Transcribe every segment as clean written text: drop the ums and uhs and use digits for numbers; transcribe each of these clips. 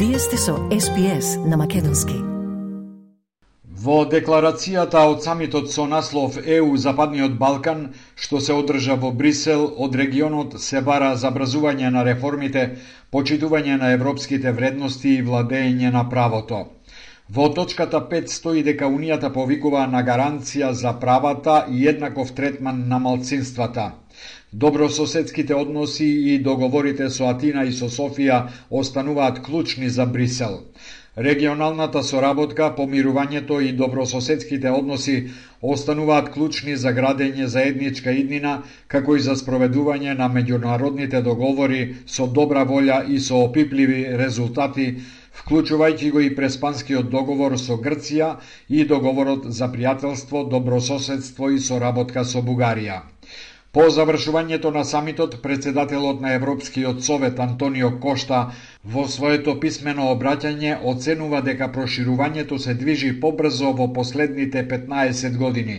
Вие сте со SPS на македонски. Во декларацијата од самитот со наслов ЕУ Западниот Балкан, што се одржа во Брисел, од регионот се бара забрзување на реформите, почитување на европските вредности и владење на правото. Во точката 5 стои дека Унијата повикува на гаранција за правата и еднаков третман на малцинствата. Добрососедските односи и договорите со Атина и со Софија остануваат клучни за Брисел. Регионалната соработка, помирувањето и добрососедските односи остануваат клучни за градење заедничка иднина, како и за спроведување на меѓународните договори со добра волја и со опипливи резултати, вклучувајќи го и Преспанскиот договор со Грција и договорот за пријателство, добрососедство и соработка со Бугарија. По завршувањето на самитот, председателот на Европскиот совет Антонио Кошта во своето писмено обраќање оценува дека проширувањето се движи побрзо во последните 15 години.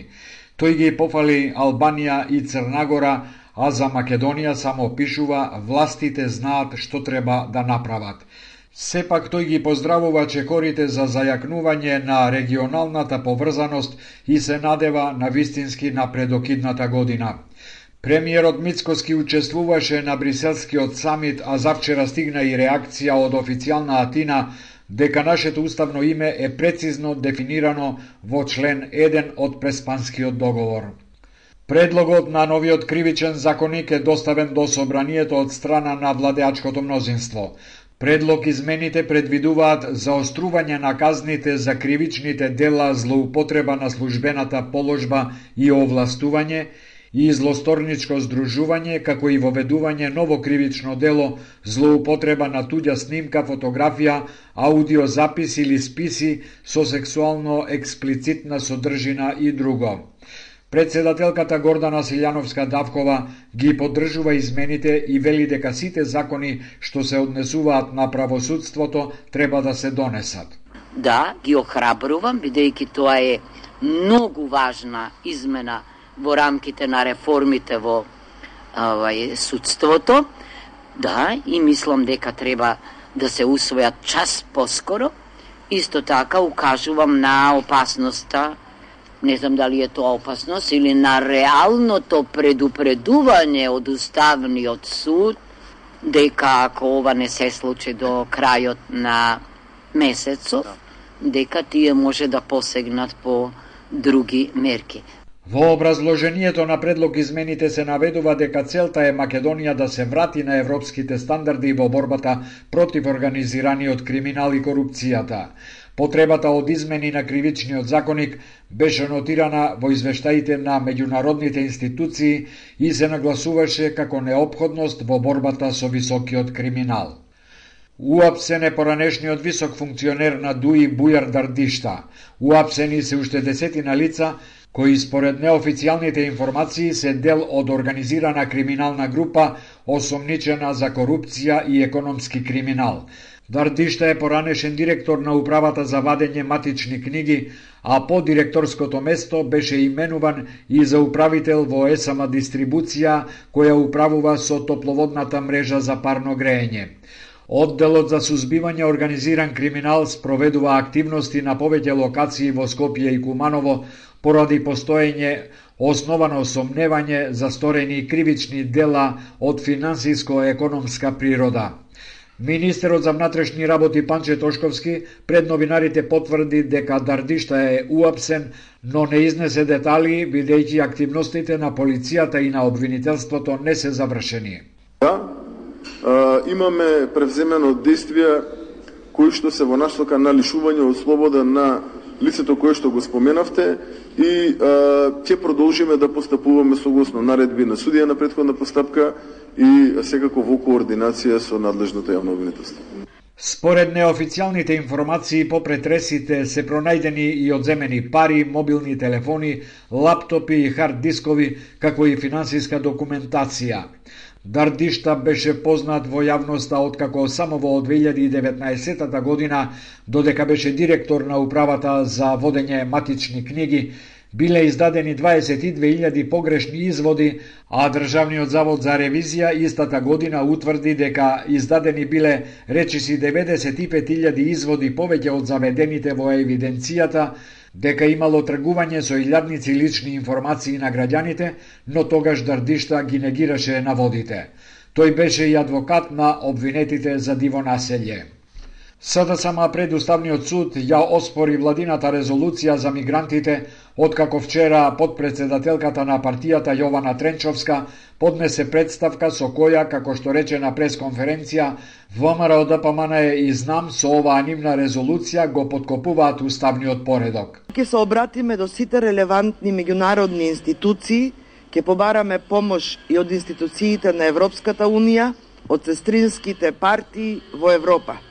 Тој ги пофали Албанија и Црнагора, а за Македонија само пишува властите знаат што треба да направат. Сепак тој ги поздравува чекорите за зајакнување на регионалната поврзаност и се надева на вистински напредок идната година. Премиерот Мицкоски учествуваше на Бриселскиот самит, а завчера стигна и реакција од официјална Атина дека нашето уставно име е прецизно дефинирано во член 1 од Преспанскиот договор. Предлогот на новиот кривичен законник е доставен до собранието од страна на владеачкото мнозинство. Предлог измените предвидуваат заострување на казните за кривичните дела злоупотреба на службената положба и овластување и злосторничко здружување, како и воведување ново кривично дело злоупотреба на туѓа снимка, фотографија, аудиозапис или списи со сексуално експлицитна содржина и друго. Председателката Гордана Силјановска-Давкова ги поддржува измените и вели дека сите закони што се однесуваат на правосудството треба да се донесат. Да, ги охрабрувам, бидејќи тоа е многу важна измена во рамките на реформите во судството. Да, и мислам дека треба да се усвојат час поскоро. Исто така укажувам на опасноста, не знам дали е тоа опасност, или на реалното предупредување од Уставниот суд, дека ако ова не се случи до крајот на месецов, дека тие може да посегнат по други мерки. Во образложението на предлог измените се наведува дека целта е Македонија да се врати на европските стандарди во борбата против организираниот криминал и корупцијата. Потребата од измени на кривичниот законник беше нотирана во извештаите на меѓународните институции и се нагласуваше како неопходност во борбата со високиот криминал. Уапсен е поранешниот висок функционер на ДУИ Бујар Дардишта. Уапсени се уште десетина лица кои според неофицијалните информации се дел од организирана криминална група осомничена за корупција и економски криминал. Дардишта е поранешен директор на управата за вадење матични книги, а по директорското место беше именуван и за управител во ЕСМ дистрибуција, која управува со топловодната мрежа за парно греење. Одделот за сузбивање организиран криминал спроведува активности на повеќе локации во Скопје и Куманово поради постоење основано сомневање за сторени кривични дела од финансиско-економска природа. Министерот за внатрешни работи Панче Тошковски пред новинарите потврди дека Дардишта е уапсен, но не изнесе детали, бидејќи активностите на полицијата и на обвинителството не се завршени. Да, имаме превземено действија кои што се во насока на лишување од слобода на лицето кое што го споменавте и ќе продолжиме да постапуваме согласно наредби на судија на претходна постапка и секако во координација со надлежното јавно обвинителство. Според неофицијалните информации по претресите се пронајдени и одземени пари, мобилни телефони, лаптопи и хард дискови, како и финансиска документација. Дардишта беше познат во јавноста откако само во 2019 година, додека беше директор на управата за водење матични книги, Биле издадени 22.000 погрешни изводи, а Државниот завод за ревизија истата година утврди дека издадени биле речиси 95.000 изводи повеќе од заведените во евиденцијата, дека имало тргување со илјадници лични информации на граѓаните, но тогаш Дардишта ги негираше наводите. Тој беше и адвокат на обвинетите за диво населје. СДСМ пред Уставниот суд ја оспори владината резолуција за мигрантите, откако вчера подпредседателката на партијата Јована Тренчовска поднесе представка со која, како што рече на пресконференција, ВМРО-ДПМН и ЗНАМ со оваа нивна резолуција го поткопуваат уставниот поредок. Ќе се обратиме до сите релевантни меѓународни институции, ќе побараме помош и од институциите на Европската Унија, од сестринските партии во Европа.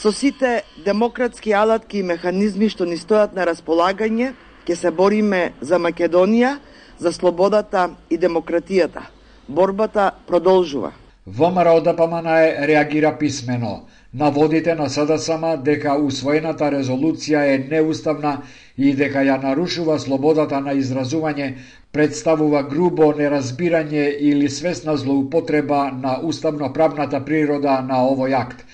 Со сите демократски алатки и механизми што ни стојат на располагање, ќе се бориме за Македонија, за слободата и демократијата. Борбата продолжува. ВМРО-ДПМН реагира писмено. Наводите на СДСМ дека усвоената резолуција е неуставна и дека ја нарушува слободата на изразување, представува грубо неразбирање или свесна злоупотреба на уставно-правната природа на овој акт.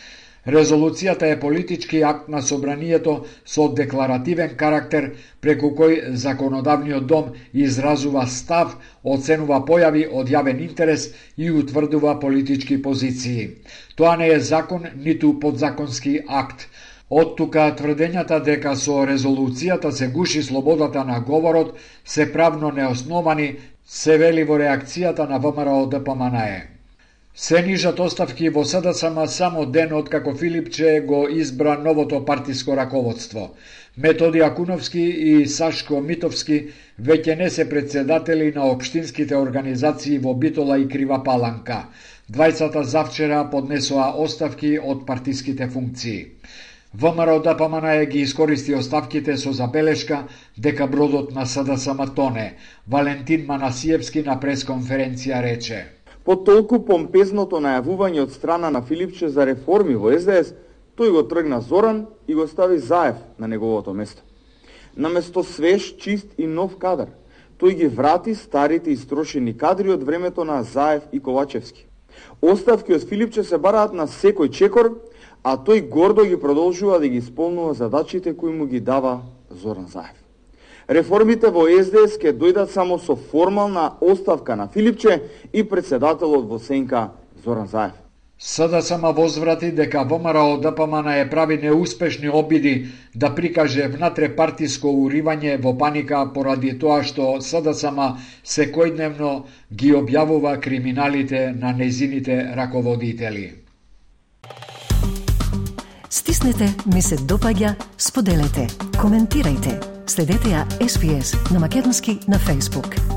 Резолуцијата е политички акт на собранието со декларативен карактер, преку кој законодавниот дом изразува став, оценува појави од јавен интерес и утврдува политички позиции. Тоа не е закон, ниту подзаконски акт. Од тука тврдењата дека со резолуцијата се гуши слободата на говорот се правно неосновани, се вели во реакцијата на ВМРО-ДПМН. Се нижат оставки во СДСМ само ден откако Филипче го избра новото партиско раководство. Методи Акуновски и Сашко Митовски веќе не се председатели на општинските организации во Битола и Крива Паланка. Двајцата завчера поднесоа оставки од партиските функции. ВМРО-ДПМН ги искористи оставките со забелешка дека бродот на СДСМ тоне. Валентин Манасиевски на пресконференција рече: По толку помпезното најавување од страна на Филипче за реформи во СДС, тој го тргна Зоран и го стави Заев на неговото место. Наместо свеж, чист и нов кадар, тој ги врати старите истрошени кадри од времето на Заев и Ковачевски. Оставки од Филипче се бараат на секој чекор, а тој гордо ги продолжува да ги исполнува задачите кои му ги дава Зоран Заев. Реформите во СДС ќе дојдат само со формална оставка на Филипче и председателот во сенка Зоран Заев. СДСМ возврати дека ВМРО-ДПМН прави неуспешни обиди да прикаже внатрепартиско уривање во паника поради тоа што СДСМ секојдневно ги објавува криминалите на нејзините раководители. Стиснете, ми се допаѓа, споделете, коментирајте. Следете ја SPS на Македонски на Facebook.